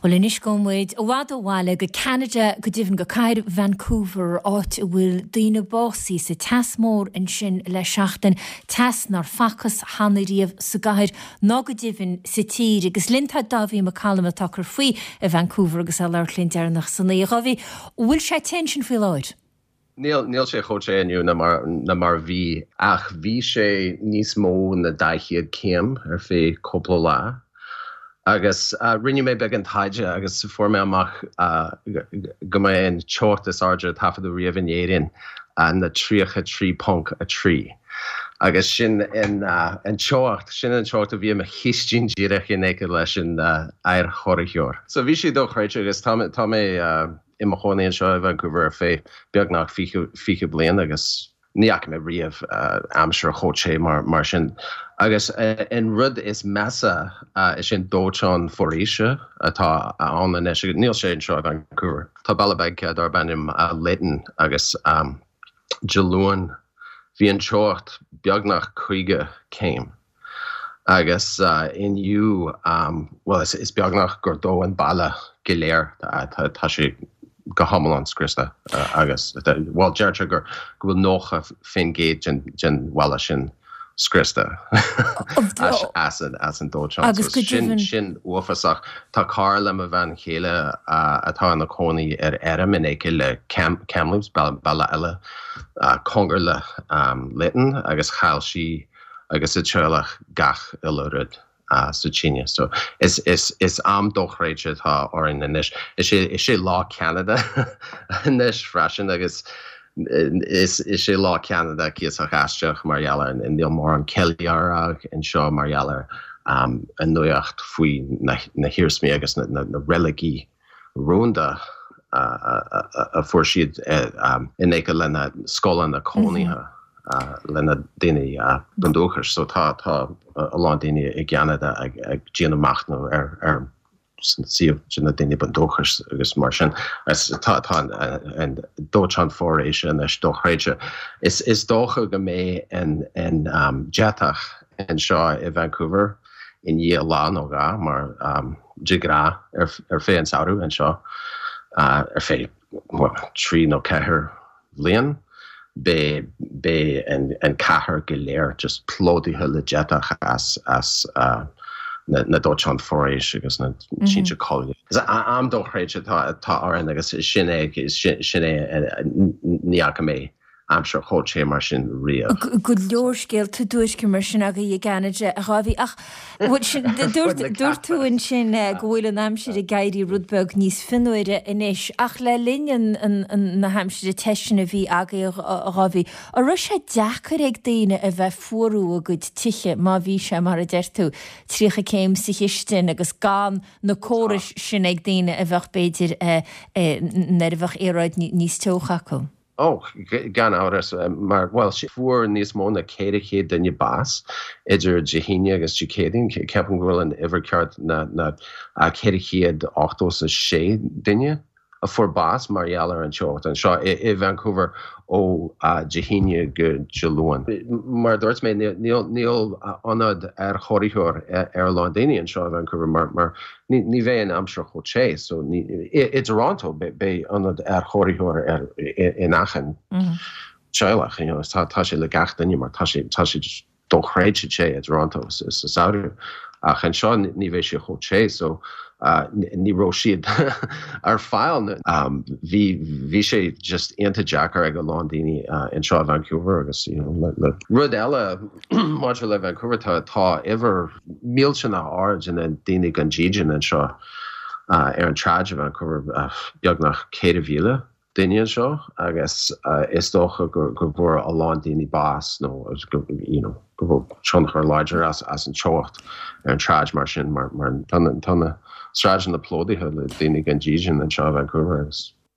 Bhuel anois gabhfaidh muid i bhfad ó bhaile go Ceanada, go deimhin go cathair Vancouver, áit a bhfuil daoine básaithe sa teas mór ansin le seachtain, teas nár facthas cheana riamh sa gcathair ná go deimhin sa tír. Agus linn tá Dáibhí Mac Coluim atá ag cur faoi i Vancouver agus é ag labhairt linn deireanach san oíche. A Dháibhí, an bhfuil sé te ansin faoi láthair? Níl, níl sé chomh te inniu ná mar, ná mar a bhí, ach bhí sé níos mó na 200 céim ar feadh cúpla lá. Agus rinne mé beagán taighde agus fuair mé amach go mba é an teocht is airde a taifeadadh riamh in Éirinn na 33.3. Agus sin an teocht, sin an teocht a bhí i mo chistin díreach in aice leis an aerchóiritheoir. So bhí sé dochreidte agus tá, tá mé, i mo chónaí anseo i Vancouver ar feadh beagnach 20 bliain agus ní fhaca mé riamh aimsir chomh te mar sin. Agus an rud is measa is é an dóiteán foraoise atá ann anois, agus níl sé anseo i Vancouver. Tá baile beag darb ainm Layton agus Dé Luain bhí an teocht beagnach 50 céim. Agus inniu, bhuel, is beagnach gur dódh an baile go léir, tá sé go hiomlán scriosta agus, bhuel, deirtear go bhfuil 90% den bhaile sin scriosta as an dóiteán. Agus go deimhin. Sin uafásach. Tá cara le mo bhean chéile atá ina cónaí ar fheirm in aice le Kamloops, baile eile cóngar le Layton, agus chaill sí agus a teaghlach gach uile rud sa tine. So is is is am dochreidte atá orainn anois. Is é is é Lá Ceanada anois freisin agus is is é Lá Ceanada cuíosach aisteach mar gheall ar níl mórán ceiliúradh anseo mar gheall ar an nuacht faoi na na hiarsmaí agus na na reiligí rúnda a fuair siad in aice lena scoileanna cónaithe lena daoine bundúchais. So tá tá a lán daoine i gCeanada ag ag déanamh machnamh ar ar suíomh de na daoine bundúchais agus mar sin. Tá tá an dóiteán foraoise anois dochreidte. Is is dócha go mbeidh an an deatach anseo i Vancouver i ndiaidh lá nó dhá mar de ghnáth ar feadh an samhradh anseo ar feadh 3 nó 4 bhliain beidh beidh an cathair go léir just plódaithe le deatach as as na na dóiteáin foraoise agus na tinte coille. Is am dochreidte atá atá orainn agus sin é sin é ní fhaca mé aimsir chomh te mar sin riamh. Go leor scéalta duairce mar sin agaibh i gCeanada, a Dháibhí. Ach dúirt tú ansin go bhfuil an aimsir ag éirí rud beag níos fionnuaire anois. Ach le linn na haimsire te sin a bhí agaibh, a Dháibhí, an raibh sé deacair ag daoine a bheith ag fuarú a gcuid tithe má bhí sé, mar a deir tú, 30 céim sa chistin agus gan na córais sin ag daoine a bheadh, b'fhéidir, nuair a bheadh aeráid níos teocha acu? Ó, gan amhras, mar, bhuel, fuair níos mó ná 400 duine bás idir Dé hAoine agus Dé Céadaoin. Ceapaim go bhfuil an uimhir ceart ná 486 duine a fuair bás mar gheall ar an teocht anseo i Vancouver ó Dé hAoine go Dé Luain. Mar a dúirt mé, níl ionad aerchóiritheoir ar a lán daoine anseo i Vancouver mar Ní bheidh an aimsir chomh te so i dToronto beidh ionad aerchóiritheoir ar in achan teaghlach you know tá tá sé le gach duine mar tá sé tá sé dochreidte te i dToronto sa samhradh ach anseo ní bheidh sé chomh te so ní raibh siad ar fáil. Bhí bhí sé just iontach deacair ag a lán daoine anseo i Vancouver agus you know le rud eile Maidir le Vancouver, tá tá uimhir millteanach ard de na daoine gan dídean anseo ar an tsráid i Vancouver, beagnach 4,000 duine anseo agus is dócha go go bhfuair a lán daoine bás nó go you know go bhfuil tionchar láidir as as an teocht ar an tsráid mar sin mar mar tá na tá na sráideanna plódaithe le daoine gan dídean anseo i Vancouver agus.